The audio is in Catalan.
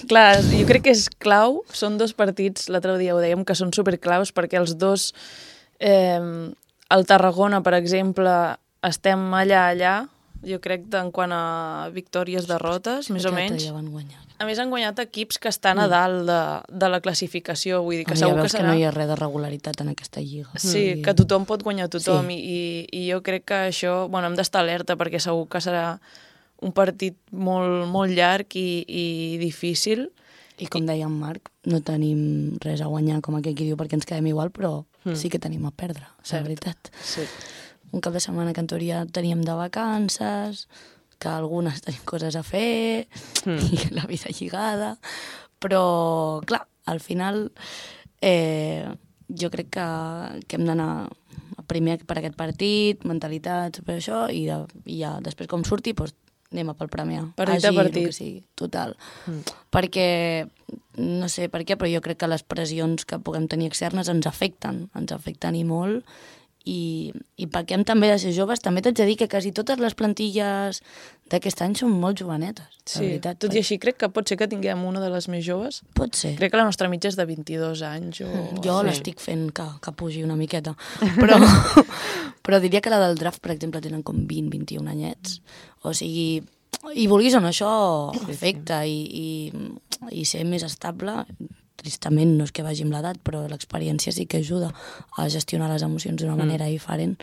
Clar, jo crec que és clau, són dos partits, l'altre dia ho dèiem, que són superclaus perquè els dos, el Tarragona, per exemple, estem allà, jo crec en quant a victòries, derrotes, més o menys. Ja van guanyar. A més, han guanyat equips que estan a dalt de la classificació, vull dir que segur que serà... que no hi ha res de regularitat en aquesta lliga. Sí, que tothom pot guanyar tothom i jo crec que això, bueno, hem d'estar alerta perquè segur que serà un partit molt llarg i difícil. I com deia en Marc, no tenim res a guanyar, com aquell qui diu, perquè ens quedem igual, però sí que tenim a perdre, la veritat. Sí. Un cap de setmana que en teoria teníem de vacances, que algunes tenim coses a fer, i la vida lligada, però, clar, al final jo crec que hem d'anar primer per aquest partit, mentalitat, per això, i ja després com surti, doncs anem a pel Premià. Partit a partit. Que sigui, total. Perquè, no sé per què, però jo crec que les pressions que puguem tenir externes ens afecten i molt, i perquè hem també de ser joves, també t'haig de dir que quasi totes les plantilles d'aquest any són molt jovenetes. Sí, veritat, tot i així crec que pot ser que tinguem una de les més joves. Pot ser. Crec que la nostra mitja és de 22 anys. Jo l'estic fent que pugi una miqueta, però diria que la del draft, per exemple, tenen com 20-21 anyets. O sigui, i vulguis o no, això afecta i ser més estable. Tristament no és que vagi amb l'edat, però l'experiència sí que ajuda a gestionar les emocions d'una manera diferent.